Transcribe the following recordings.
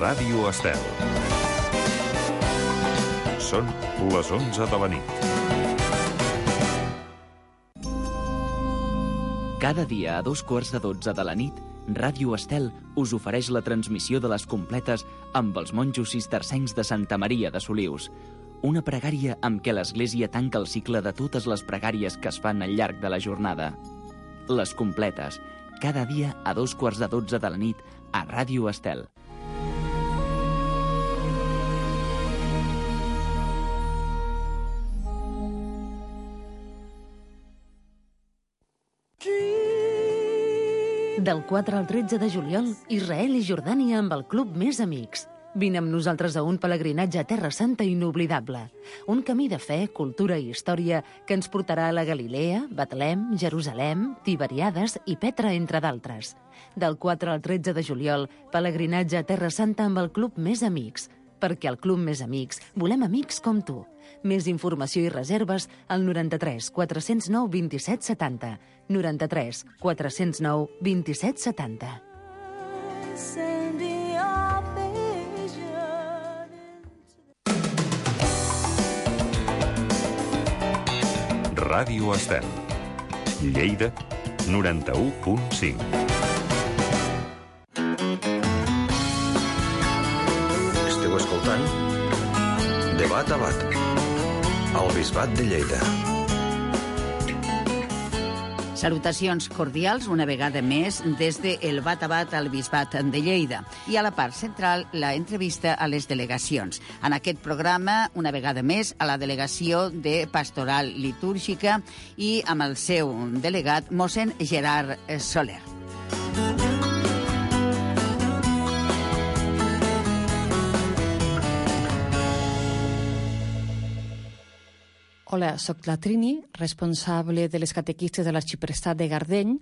Ràdio Estel. Són les 11 de la nit. Cada dia a 2:15 de la nit, Ràdio Estel us ofereix la transmissió de les completes amb els monjos cistercencs de Santa Maria de Solius. Una pregària amb què l'Església tanca el cicle de totes les pregàries que es fan al llarg de la jornada. Les completes, cada dia a 2:15 de la nit a Ràdio Estel. Del 4 al 13 de juliol, Israel i Jordània amb el Club Més Amics. Vine amb nosaltres a un pelegrinatge a Terra Santa inoblidable. Un camí de fe, cultura i història que ens portarà a la Galilea, Betlem, Jerusalem, Tiberiades i Petra, entre d'altres. Del 4 al 13 de juliol, pelegrinatge a Terra Santa amb el Club Més Amics. Perquè al Club Més Amics volem amics com tu. Més informació i reserves al 93 409 27 70. 93 409 27 70. Ràdio Estel. Lleida, 91.5. Esteu escoltant Debat a Bat, al Bisbat de Lleida. Salutacions cordials una vegada més des de el Bat a Bat al Bisbat de Lleida. I a la part central, la entrevista a les delegacions. En aquest programa, una vegada més, a la delegació de Pastoral Litúrgica i amb el seu delegat, mossèn Gerard Soler. Hola, soc la Trini, responsable de les catequistes de l'Arxiprestat de Gardeny.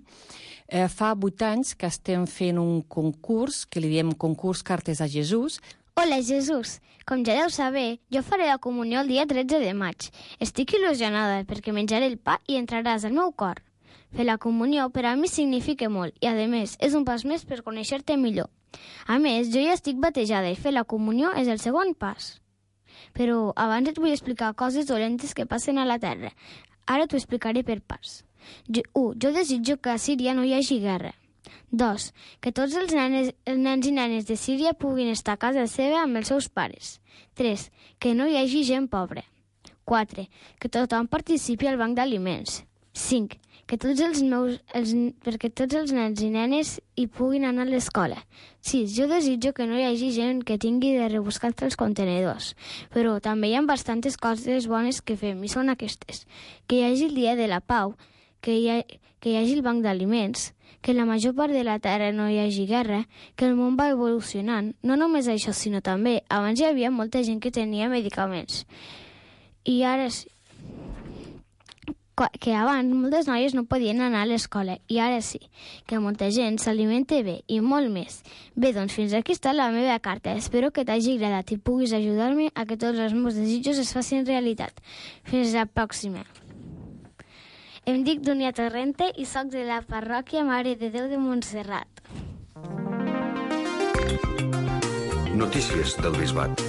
Fa 8 anys que estem fent un concurs, que li diem concurs Cartes a Jesús. Hola, Jesús. Com ja deu saber, jo faré la comunió el dia 13 de maig. Estic il·lusionada perquè menjaré el pa i entraràs al meu cor. Fer la comunió per a mi significa molt i, a més, és un pas més per conèixer-te millor. A més, jo ja estic batejada i fer la comunió és el segon pas. Però abans et vull explicar coses dolentes que passen a la Terra. Ara t'ho explicaré per parts. 1. Jo desitjo que a Síria no hi hagi guerra. 2. Que tots els nens i nenes de Síria puguin estar a casa seva amb els seus pares. 3. Que no hi hagi gent pobra. 4. Que tothom participi al banc d'aliments. 5. Perquè tots els nens i nenes hi puguin anar a l'escola. 6. Jo desitjo que no hi hagi gent que tingui de rebuscar els contenedors. Però també hi ha bastantes coses bones que fem, i són aquestes. Que hi hagi el dia de la pau, que hi hagi el banc d'aliments, que la major part de la Terra no hi hagi guerra, que el món va evolucionant. No només això, sinó també, abans hi havia molta gent que tenia medicaments. I ara sí. Que abans moltes noies no podien anar a l'escola i ara sí, que molta gent s'alimenta bé i molt més. Bé, doncs fins aquí està la meva carta. Espero que t'hagi agradat i puguis ajudar-me a que tots els meus desitjos es facin realitat. Fins la pròxima. Em dic Dunia Torrente i soc de la parròquia Mare de Déu de Montserrat. Notícies del Bisbat.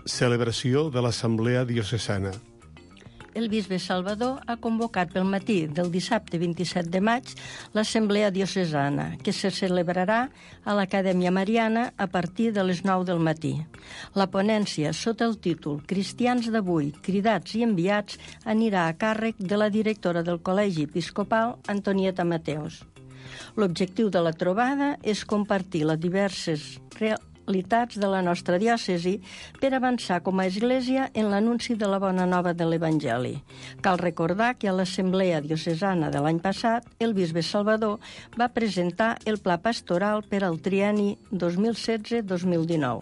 Celebració de l'Assemblea Diocesana. El bisbe Salvador ha convocat pel matí del dissabte 27 de maig l'Assemblea Diocesana, que se celebrarà a l'Acadèmia Mariana a partir de les 9 del matí. La ponència, sota el títol Cristians d'avui, cridats i enviats, anirà a càrrec de la directora del Col·legi Episcopal, Antonieta Mateos. L'objectiu de la trobada és compartir les diverses realitats de la nostra diòcesi per avançar com a Església en l'anunci de la bona nova de l'Evangeli. Cal recordar que a l'Assemblea Diocesana de l'any passat, el bisbe Salvador va presentar el pla pastoral per al trienni 2016-2019.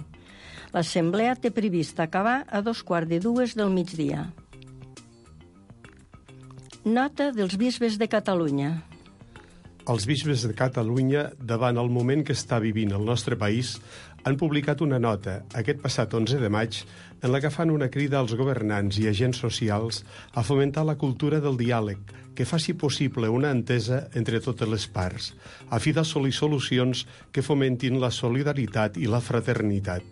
L'Assemblea té previst acabar a 2:15 del migdia. Nota dels bisbes de Catalunya. Els bisbes de Catalunya, davant el moment que està vivint el nostre país, han publicat una nota aquest passat 11 de maig en la que fan una crida als governants i agents socials a fomentar la cultura del diàleg que faci possible una entesa entre totes les parts, a fi d'assolir solucions que fomentin la solidaritat i la fraternitat.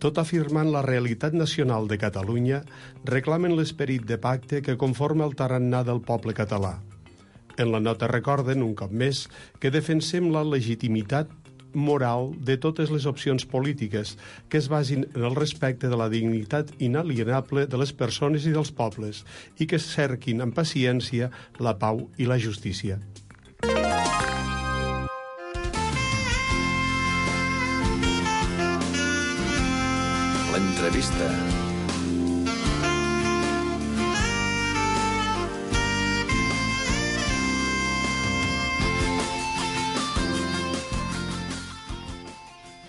Tot afirmant la realitat nacional de Catalunya, reclamen l'esperit de pacte que conforma el tarannà del poble català. En la nota recorden, un cop més, que defensem la legitimitat moral de totes les opcions polítiques que es basin en el respecte de la dignitat inalienable de les persones i dels pobles i que cerquin amb paciència la pau i la justícia. L'entrevista.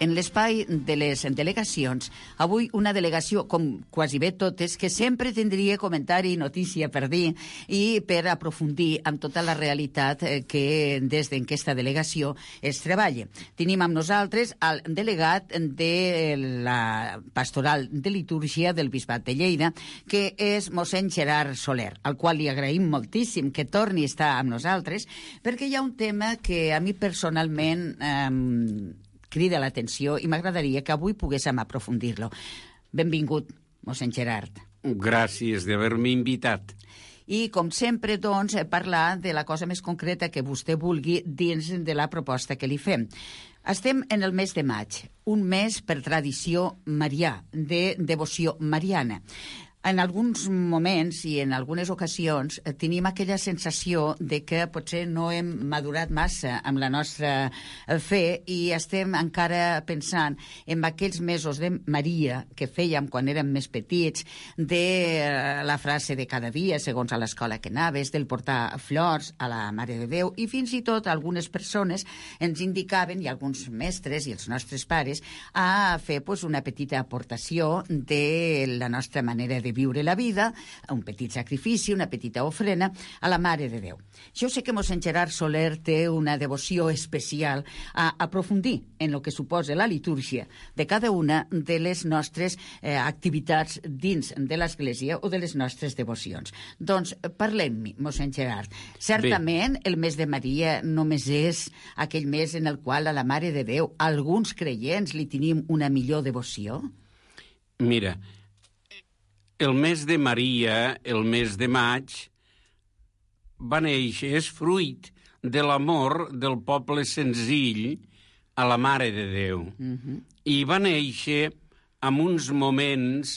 En l'espai de les delegacions, avui una delegació, com quasi bé totes, que sempre tindria comentari i notícia per dir i per aprofundir amb tota la realitat que des d'aquesta delegació es treballa. Tenim amb nosaltres el delegat de la Pastoral de Litúrgia del Bisbat de Lleida, que és mossèn Gerard Soler, al qual li agraïm moltíssim que torni a estar amb nosaltres, perquè hi ha un tema que a mi personalment crida l'atenció i m'agradaria que avui poguéssim aprofundir-lo. Benvingut, mossèn Gerard. Gràcies d'haver-me invitat. I, com sempre, doncs, parlar de la cosa més concreta que vostè vulgui dins de la proposta que li fem. Estem en el mes de maig, un mes per tradició marià, de devoció mariana. En alguns moments i en algunes ocasions tenim aquella sensació de que potser no hem madurat massa amb la nostra fe i estem encara pensant en aquells mesos de Maria que fèiem quan érem més petits, de la frase de cada dia, segons a l'escola que anaves, del portar flors a la Mare de Déu, i fins i tot algunes persones ens indicaven, i alguns mestres i els nostres pares, a fer una petita aportació de la nostra manera de viure la vida, un petit sacrifici, una petita ofrena a la Mare de Déu. Jo sé que mossèn Gerard Soler té una devoció especial a aprofundir en el que suposa la litúrgia de cada una de les nostres activitats dins de l'Església o de les nostres devocions. Doncs parlem-hi, mossèn Gerard. Certament, el mes de Maria només és aquell mes en el qual a la Mare de Déu alguns creients li tenim una millor devoció? Mira, el mes de Maria, el mes de maig, va néixer, és fruit de l'amor del poble senzill a la Mare de Déu. I va néixer en uns moments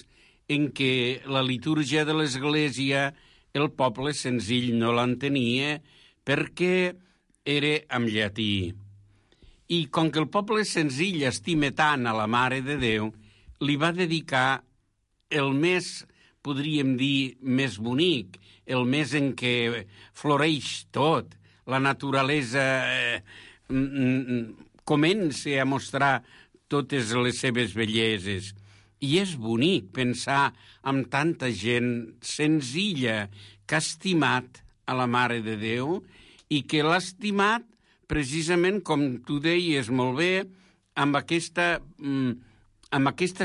en què la litúrgia de l'Església el poble senzill no l'entenia perquè era en llatí. I com que el poble senzill estima tant a la Mare de Déu, li va dedicar el mes, podríem dir, més bonic, el mes en què floreix tot, la naturalesa comença a mostrar totes les seves belleses. I és bonic pensar en tanta gent senzilla que ha estimat a la Mare de Déu i que l'ha estimat precisament, com tu deies molt bé, amb aquesta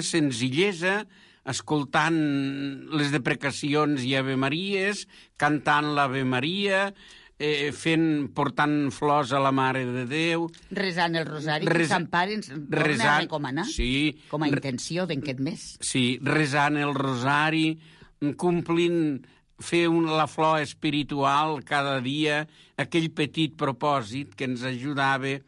senzillesa, escoltant les deprecacions i Ave Maries, cantant l'Ave Maria, portant flors a la Mare de Déu... Resant el rosari, que Sant Pare ens torna a recomanar, com a intenció d'aquest mes. Sí, resant el rosari, complint, fer la flor espiritual cada dia, aquell petit propòsit que ens ajudava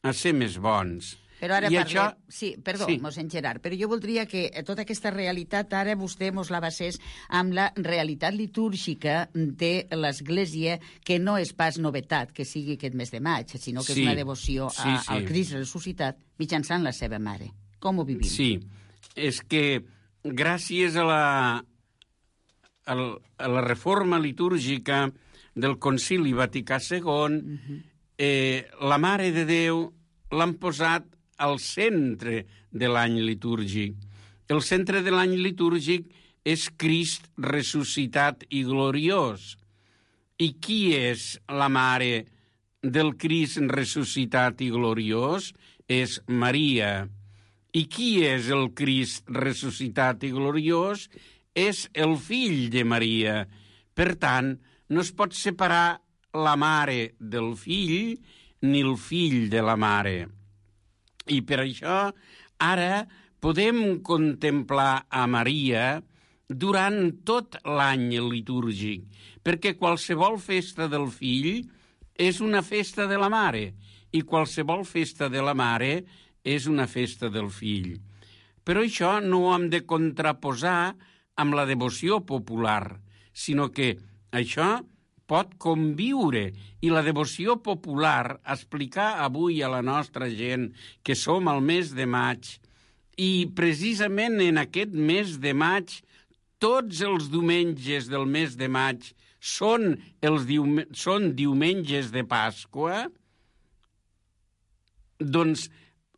a ser més bons. Però ara parlem... Sí, perdó, mossèn Gerard, però jo voldria que tota aquesta realitat ara vostè mos la basés amb la realitat litúrgica de l'Església, que no és pas novetat que sigui aquest mes de maig, sinó que és una devoció al Crist ressuscitat mitjançant la seva mare. Com ho vivim? Sí, és que gràcies a la reforma litúrgica del Concili Vaticà II, la Mare de Déu l'han posat al centre de l'any litúrgic. El centre de l'any litúrgic és Crist ressuscitat i gloriós. I qui és la mare del Crist ressuscitat i gloriós? És Maria. I qui és el Crist ressuscitat i gloriós? És el fill de Maria. Per tant, no es pot separar la mare del fill ni el fill de la mare. I per això ara podem contemplar a Maria durant tot l'any litúrgic, perquè qualsevol festa del fill és una festa de la mare i qualsevol festa de la mare és una festa del fill. Però això no ho hem de contraposar amb la devoció popular, sinó que això pot conviure i la devoció popular, explicar avui a la nostra gent que som al mes de maig i precisament en aquest mes de maig, tots els diumenges del mes de maig són diumenges de Pasqua, doncs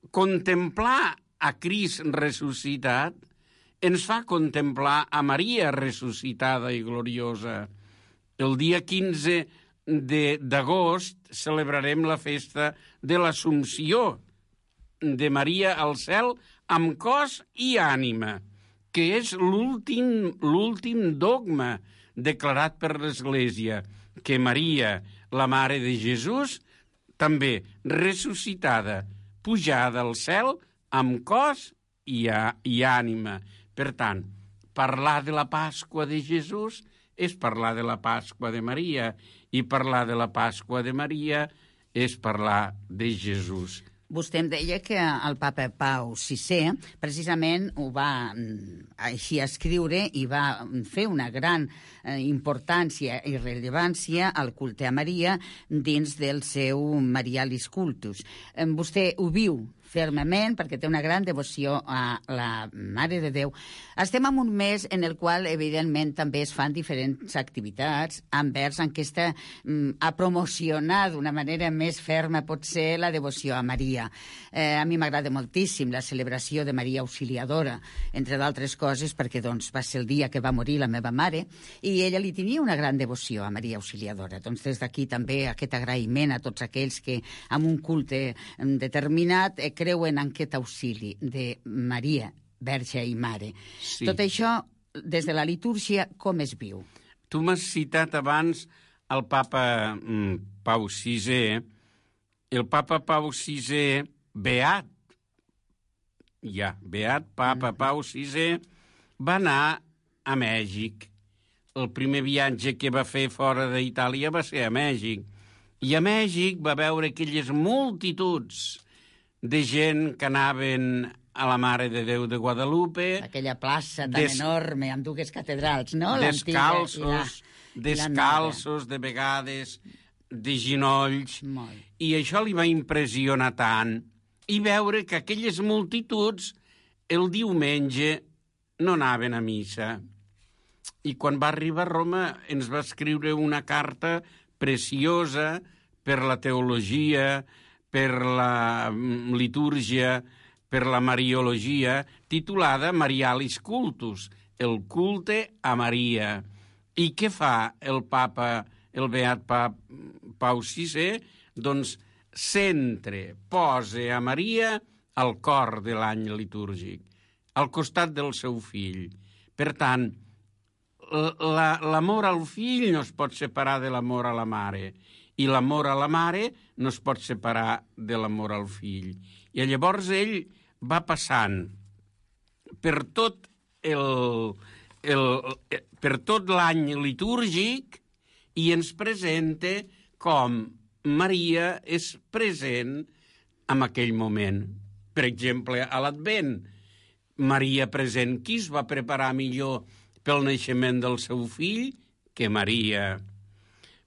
contemplar a Crist ressuscitat ens fa contemplar a Maria ressuscitada i gloriosa. El dia 15 d'agost celebrarem la festa de l'Assumpció de Maria al cel amb cos i ànima, que és l'últim dogma declarat per l'Església, que Maria, la Mare de Jesús, també ressuscitada, pujada al cel amb cos i ànima. Per tant, parlar de la Pasqua de Jesús és parlar de la Pasqua de Maria, i parlar de la Pasqua de Maria és parlar de Jesús. Vostè em deia que el papa Pau VI precisament ho va així escriure i va fer una gran importància i rellevància al culte a Maria dins del seu Marialis Cultus. Vostè ho viu fermament perquè té una gran devoció a la Mare de Déu. Estem en un mes en el qual, evidentment, també es fan diferents activitats envers aquesta a promocionar d'una manera més ferma potser la devoció a Maria. A mi m'agrada moltíssim la celebració de Maria Auxiliadora, entre d'altres coses perquè doncs, va ser el dia que va morir la meva mare i ella li tenia una gran devoció a Maria Auxiliadora. Doncs des d'aquí també aquest agraïment a tots aquells que amb un culte determinat creuen en aquest auxili de Maria, Verge i Mare. Sí. Tot això, des de la litúrgia, com es viu? Tu m'has citat abans el papa Pau VI. El papa Pau VI, beat papa Pau VI, va anar a Mèxic. El primer viatge que va fer fora d'Itàlia va ser a Mèxic. I a Mèxic va veure aquelles multituds de gent que anaven a la Mare de Déu de Guadalupe. Aquella plaça tan enorme, amb dues catedrals, no? Descalços, de vegades, de ginolls. I això li va impressionar tant. I veure que aquelles multituds el diumenge no anaven a missa. I quan va arribar a Roma ens va escriure una carta preciosa per la teologia, per la litúrgia, per la mariologia, titulada Marialis Cultus, el culte a Maria. I què fa el papa, el beat Pau VI? Doncs posa a Maria al cor de l'any litúrgic, al costat del seu fill. Per tant, l'amor al fill no es pot separar de l'amor a la mare, i l'amor a la mare no es pot separar de l'amor al fill. I llavors ell va passant per tot l'any litúrgic i ens presenta com Maria és present en aquell moment. Per exemple, a l'Advent, Maria present. Qui es va preparar millor pel naixement del seu fill que Maria?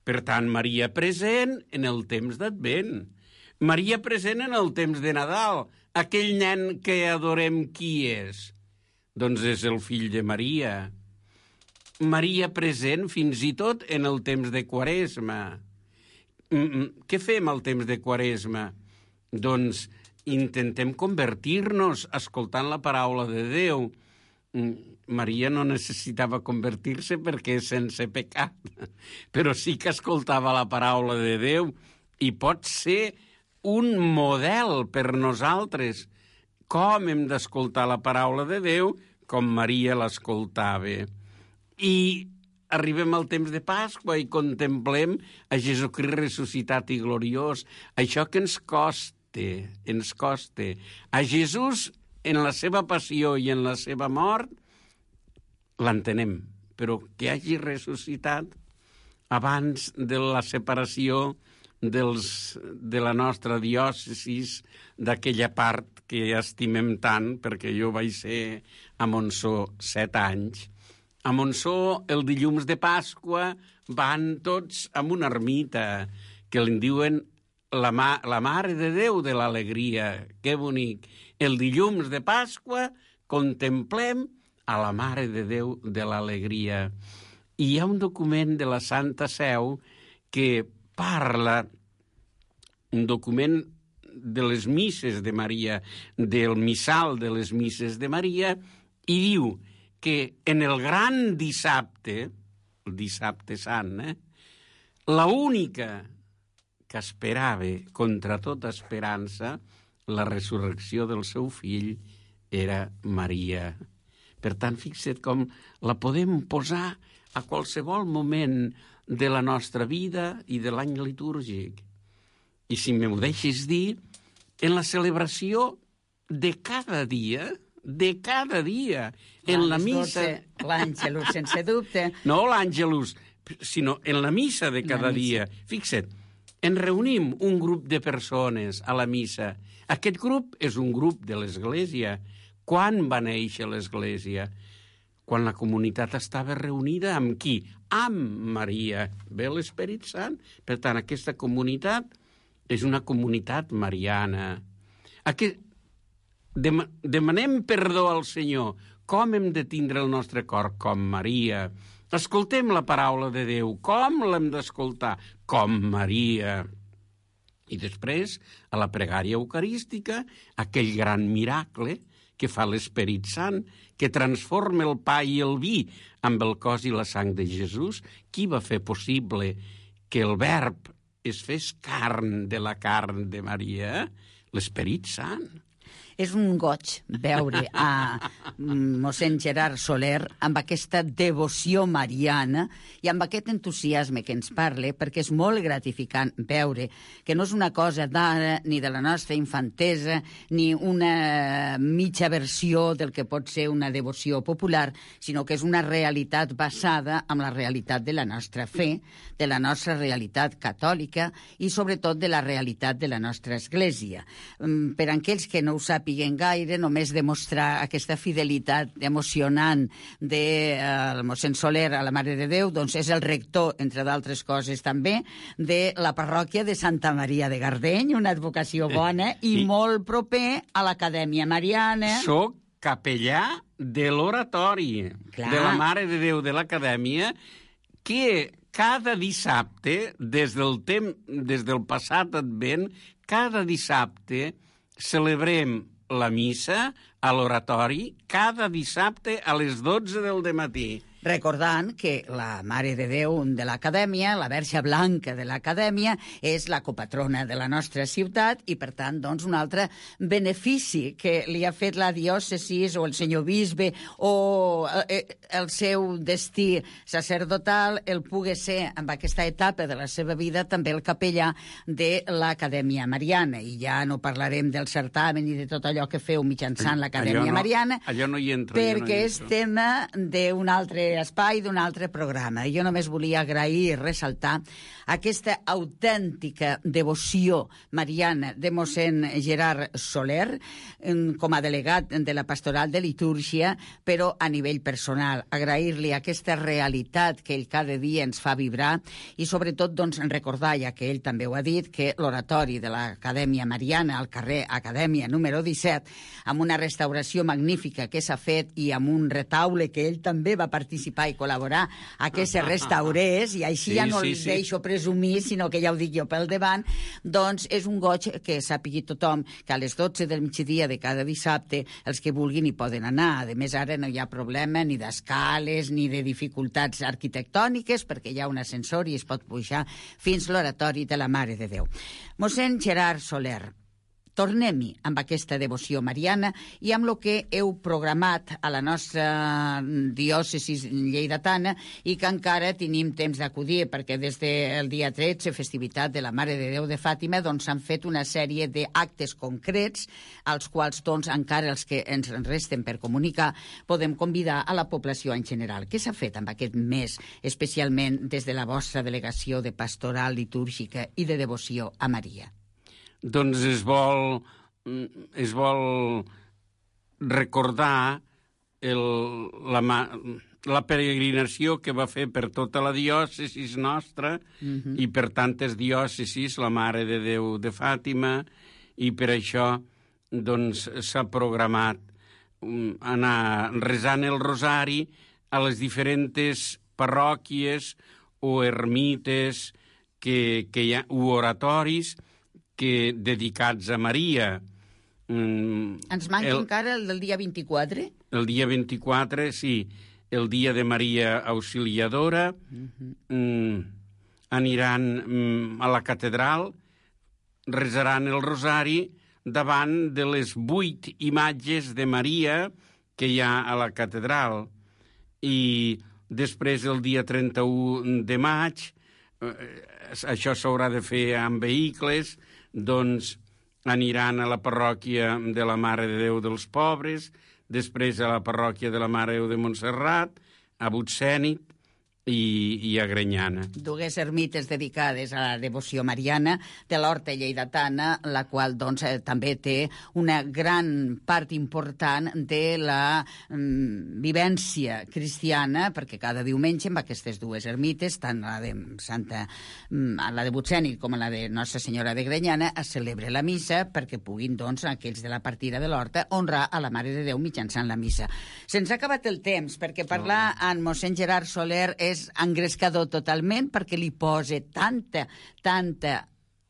Per tant, Maria present en el temps d'Advent. Maria present en el temps de Nadal. Aquell nen que adorem, qui és? Doncs és el fill de Maria. Maria present fins i tot en el temps de Quaresma. Què fem al temps de Quaresma? Doncs intentem convertir-nos escoltant la paraula de Déu. Maria no necessitava convertir-se perquè és sense pecat, però sí que escoltava la paraula de Déu i pot ser un model per nosaltres com hem d'escoltar la paraula de Déu, com Maria l'escoltava. I arribem al temps de Pasqua i contemplem a Jesucrist ressuscitat i gloriós. Això que ens costa. A Jesús, en la seva passió i en la seva mort, l'entenem, però que hagi ressuscitat abans de la separació de la nostra diòcesi, d'aquella part que estimem tant, perquè jo vaig ser a Montsó 7 anys. A Montsó, el dilluns de Pasqua, van tots a una ermita que li diuen la Mare de Déu de l'Alegria. Que bonic. El dilluns de Pasqua contemplem a la Mare de Déu de l'Alegria. I hi ha un document de la Santa Seu que parla, un document de les misses de Maria, del missal de les misses de Maria, i diu que en el gran dissabte, el dissabte sant, la única que esperava contra tota esperança la resurrecció del seu fill era Maria. Per tant, fixa't com la podem posar a qualsevol moment de la nostra vida i de l'any litúrgic. I si m'ho deixes dir, en la celebració de cada dia, en la missa... L'Àngelus, sense dubte. No l'Àngelus, sinó en la missa de cada dia. Fixa't, ens reunim un grup de persones a la missa. Aquest grup és un grup de l'Església. Quan va néixer l'Església? Quan la comunitat estava reunida amb qui? Amb Maria. Ve l'Esperit Sant. Per tant, aquesta comunitat és una comunitat mariana. Demanem perdó al Senyor. Com hem de tindre el nostre cor? Com Maria. Escoltem la paraula de Déu. Com l'hem d'escoltar? Com Maria. I després, a la pregària eucarística, aquell gran miracle que fa l'Esperit Sant, que transforma el pa i el vi amb el cos i la sang de Jesús. Qui va fer possible que el Verb es fes carn de la carn de Maria? L'Esperit Sant. És un goig veure a mossèn Gerard Soler amb aquesta devoció mariana i amb aquest entusiasme que ens parla, perquè és molt gratificant veure que no és una cosa d'ara ni de la nostra infantesa ni una mitja versió del que pot ser una devoció popular, sinó que és una realitat basada en la realitat de la nostra fe, de la nostra realitat catòlica i sobretot de la realitat de la nostra Església. Per a aquells que no ho sàpiguen gaire, només demostrar aquesta fidelitat emocionant del mossèn Soler a la Mare de Déu, doncs és el rector, entre d'altres coses també, de la parròquia de Santa Maria de Gardeny, una advocació bona i molt proper a l'Acadèmia Mariana. Soc capellà de l'oratori de la Mare de Déu de l'Acadèmia, que cada dissabte, des del passat Advent, cada dissabte celebrem la missa a l'oratori cada dissabte a les 12 del dematí. Recordant que la Mare de Déu de l'Acadèmia, la Verge Blanca de l'Acadèmia, és la copatrona de la nostra ciutat i, per tant, doncs, un altre benefici que li ha fet la diòcesi o el senyor bisbe o el seu destí sacerdotal el pugui ser, amb aquesta etapa de la seva vida, també el capellà de l'Acadèmia Mariana. I ja no parlarem del certamen i de tot allò que feu mitjançant l'Acadèmia Mariana, allò no hi entro, perquè és tema d'un altre espai, d'un altre programa. Jo només volia agrair i ressaltar aquesta autèntica devoció mariana de mossèn Gerard Soler com a delegat de la Pastoral de Litúrgia, però a nivell personal. Agrair-li aquesta realitat que ell cada dia ens fa vibrar i sobretot doncs, recordar, ja que ell també ho ha dit, que l'oratori de l'Acadèmia Mariana al carrer Acadèmia número 17, amb una restauració magnífica que s'ha fet i amb un retaule que ell també va participar i col·laborar a que se restaurés, i així ja no els deixo presumir, sinó que ja ho dic jo pel davant, doncs és un goig que sàpigui tothom que a les 12 del migdia de cada dissabte els que vulguin hi poden anar. A més, ara no hi ha problema ni d'escales ni de dificultats arquitectòniques perquè hi ha un ascensor i es pot pujar fins l'oratori de la Mare de Déu. Mossèn Gerard Soler, tornem-hi amb aquesta devoció mariana i amb el que heu programat a la nostra diòcesi lleidatana i que encara tenim temps d'acudir, perquè des del dia 13, festivitat de la Mare de Déu de Fàtima, doncs s'han fet una sèrie d'actes concrets als quals doncs encara els que ens resten per comunicar podem convidar a la població en general. Què s'ha fet amb aquest mes, especialment des de la vostra delegació de pastoral litúrgica i de devoció a Maria? Doncs es vol recordar la peregrinació que va fer per tota la diòcesi nostra i per tantes diòcesis la Mare de Déu de Fàtima, i per això doncs s'ha programat anar resant el rosari a les diferents parròquies o ermites que hi ha, o oratoris dedicats a Maria. Ens manca encara el del dia 24? El dia 24, sí. El dia de Maria Auxiliadora. Aniran a la catedral, resaran el rosari davant de les 8 imatges de Maria que hi ha a la catedral. I després, el dia 31 de maig, això s'haurà de fer amb vehicles, doncs aniran a la parròquia de la Mare de Déu dels Pobres, després a la parròquia de la Mare de Déu de Montserrat, a Butsènit i a Grenyana. Dues ermites dedicades a la devoció mariana de l'Horta lleidatana, la qual doncs, també té una gran part important de la vivència cristiana, perquè cada diumenge en aquestes dues ermites, tant la de la de Butsènit com la de Nostra Senyora de Grenyana, es celebra la missa perquè puguin, doncs, aquells de la partida de l'Horta honrar a la Mare de Déu mitjançant la missa. Se'ns ha acabat el temps, perquè parlar amb mossèn Gerard Soler és engrescador totalment, perquè li posa tanta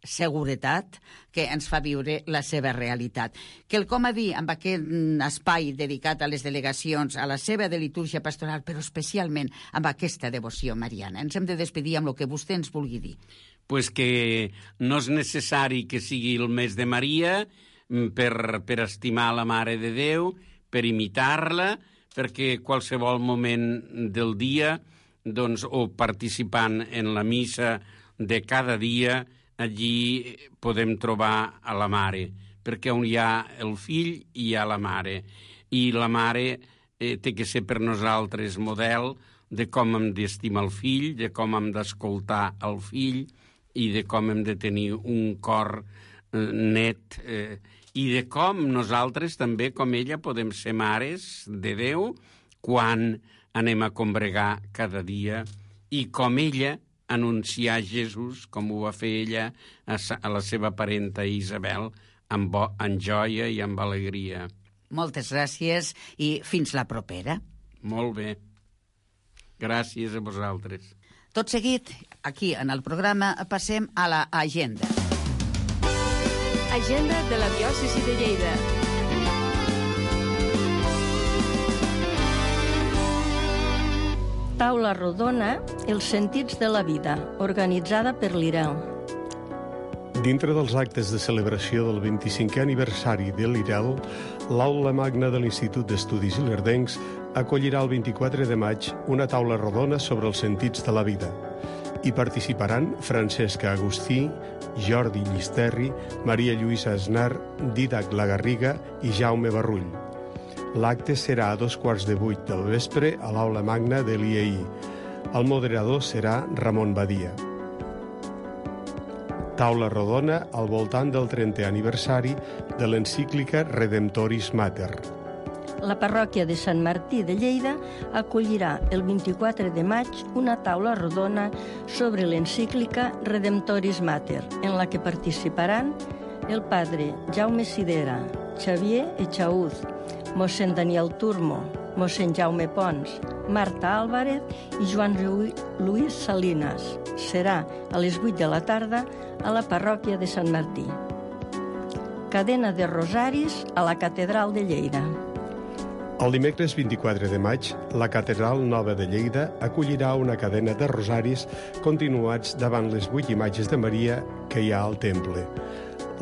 seguretat que ens fa viure la seva realitat. Quelcom a dir amb aquest espai dedicat a les delegacions, a la seva de litúrgia pastoral, però especialment amb aquesta devoció mariana. Ens hem de despedir amb el que vostè ens vulgui dir. Pues que no és necessari que sigui el mes de Maria per estimar la Mare de Déu, per imitar-la, perquè qualsevol moment del dia, doncs, o participant en la missa de cada dia, allí podem trobar a la Mare, perquè on hi ha el fill hi ha la Mare, i la Mare té que ser per nosaltres model de com hem d'estimar el fill, de com hem d'escoltar el fill i de com hem de tenir un cor net i de com nosaltres també, com ella, podem ser mares de Déu quan anem a combregar cada dia i com ella anunciar Jesús, com ho va fer ella a la seva parenta Isabel, amb joia i amb alegria. Moltes gràcies i fins la propera. Molt bé. Gràcies a vosaltres. Tot seguit, aquí en el programa, passem a l'agenda. Agenda de la diòcesi de Lleida. Taula rodona, els sentits de la vida, organitzada per l'IREL. Dintre dels actes de celebració del 25è aniversari de l'IREL, l'Aula Magna de l'Institut d'Estudis Ilerdencs acollirà el 24 de maig una taula rodona sobre els sentits de la vida. Hi participaran Francesca Agustí, Jordi Llisterri, Maria Lluïsa Aznar, Dídac Lagarriga i Jaume Barrull. L'acte serà a 7:15 del vespre a l'Aula Magna de l'IEI. El moderador serà Ramon Badia. Taula rodona al voltant del 30è aniversari de l'encíclica Redemptoris Mater. La parròquia de Sant Martí de Lleida acollirà el 24 de maig una taula rodona sobre l'encíclica Redemptoris Mater, en la que participaran el padre Jaume Sidera, Xavier Echaúz, mossèn Daniel Turmo, mossèn Jaume Pons, Marta Álvarez i Joan Luis Salinas. Serà a les 8 de la tarda a la parròquia de Sant Martí. Cadena de rosaris a la catedral de Lleida. El dimecres 24 de maig, la Catedral Nova de Lleida acollirà una cadena de rosaris continuats davant les 8 imatges de Maria que hi ha al temple.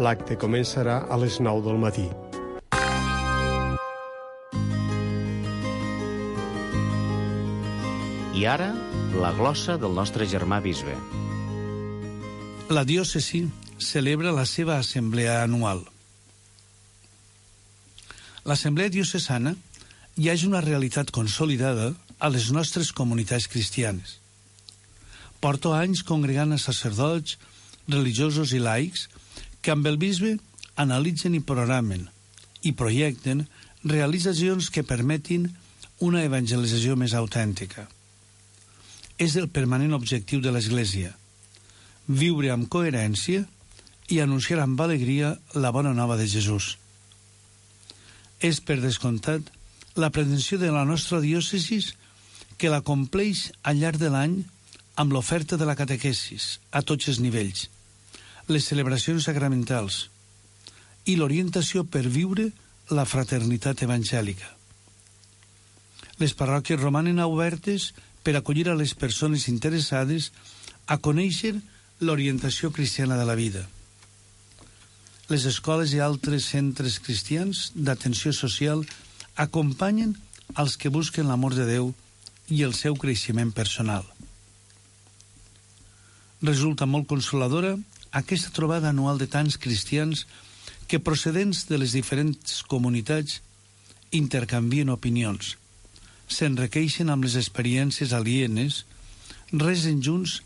L'acte començarà a les 9 del matí. I ara, la glossa del nostre germà bisbe. La diòcesi celebra la seva assemblea anual. L'assemblea diocesana ja és una realitat consolidada a les nostres comunitats cristianes. Porto anys congregant a sacerdots, religiosos i laics que amb el bisbe analitzen i programen i projecten realitzacions que permetin una evangelització més autèntica. És el permanent objectiu de l'Església, viure amb coherència i anunciar amb alegria la bona nova de Jesús. És, per descomptat, la pretensió de la nostra diòcesi que la compleix al llarg de l'any amb l'oferta de la catequesis a tots els nivells, les celebracions sacramentals i l'orientació per viure la fraternitat evangèlica. Les parròquies romanen obertes per acollir a les persones interessades a conèixer l'orientació cristiana de la vida. Les escoles i altres centres cristians d'atenció social acompanyen els que busquen l'amor de Déu i el seu creixement personal. Resulta molt consoladora aquesta trobada anual de tants cristians que, procedents de les diferents comunitats, intercanvien opinions, s'enriqueixen amb les experiències alienes, resen junts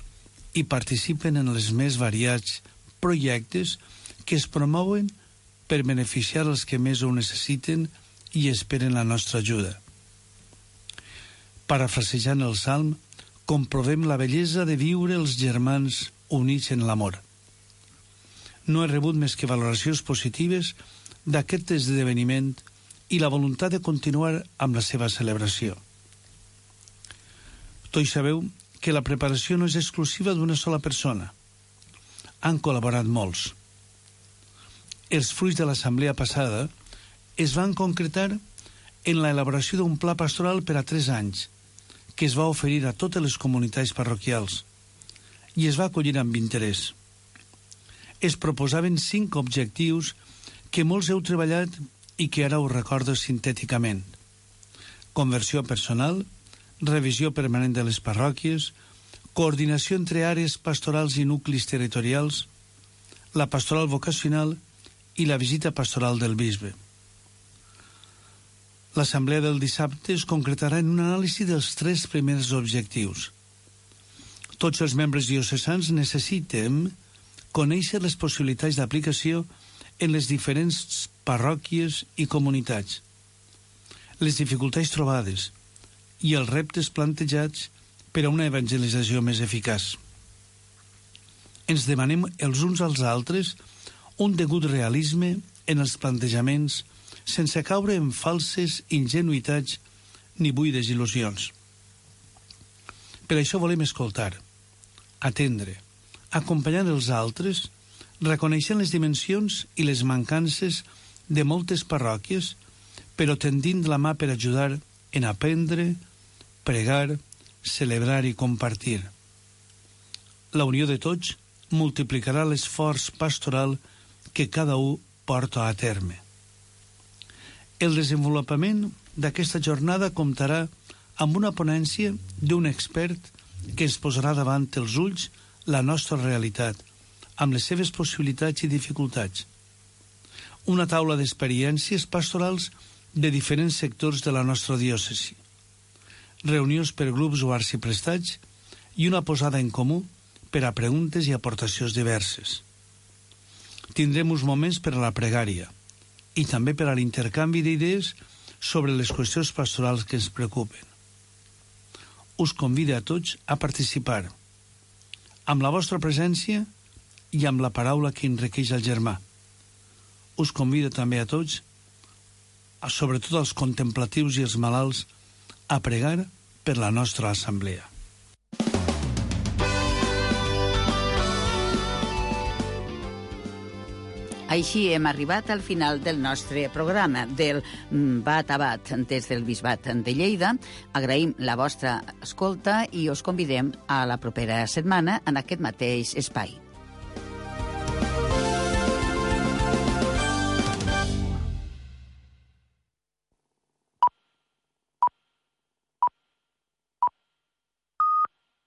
i participen en els més variats projectes que es promouen per beneficiar els que més ho necessiten i esperen la nostra ajuda. Parafrasejant el Salm, comprovem la bellesa de viure els germans units en l'amor. No he rebut més que valoracions positives d'aquest esdeveniment i la voluntat de continuar amb la seva celebració. Tots sabeu que la preparació no és exclusiva d'una sola persona. Han col·laborat molts. Els fruits de l'assemblea passada es van concretar en l'elaboració d'un pla pastoral per a 3 anys, que es va oferir a totes les comunitats parroquials i es va acollir amb interès. Es proposaven 5 objectius que molts heu treballat i que ara us recordo sintèticament. Conversió personal, revisió permanent de les parròquies, coordinació entre àrees pastorals i nuclis territorials, la pastoral vocacional i la visita pastoral del bisbe. L'assemblea del dissabte es concretarà en un anàlisi dels 3 primers objectius. Tots els membres diocesans necessitem conèixer les possibilitats d'aplicació en les diferents parròquies i comunitats, les dificultats trobades i els reptes plantejats per a una evangelització més eficaç. Ens demanem els uns als altres un degut realisme en els plantejaments sense caure en falses ingenuïtats ni buides il·lusions. Per això volem escoltar, atendre, acompanyar els altres, reconeixent les dimensions i les mancances de moltes parròquies, però tendint la mà per ajudar en aprendre, pregar, celebrar i compartir. La unió de tots multiplicarà l'esforç pastoral que cada un porta a terme. El desenvolupament d'aquesta jornada comptarà amb una ponència d'un expert que ens posarà davant els ulls la nostra realitat, amb les seves possibilitats i dificultats. Una taula d'experiències pastorals de diferents sectors de la nostra diòcesi. Reunions per grups o arxiprestats i una posada en comú per a preguntes i aportacions diverses. Tindrem uns moments per a la pregària i també per a l'intercanvi d'idees sobre les qüestions pastorals que ens preocupen. Us convido a tots a participar amb la vostra presència i amb la paraula que enriqueix el germà. Us convido també a tots, sobretot als contemplatius i els malalts, a pregar per la nostra assemblea. Així hem arribat al final del nostre programa, del Bat a Bat des del Bisbat de Lleida. Agraïm la vostra escolta i us convidem a la propera setmana en aquest mateix espai.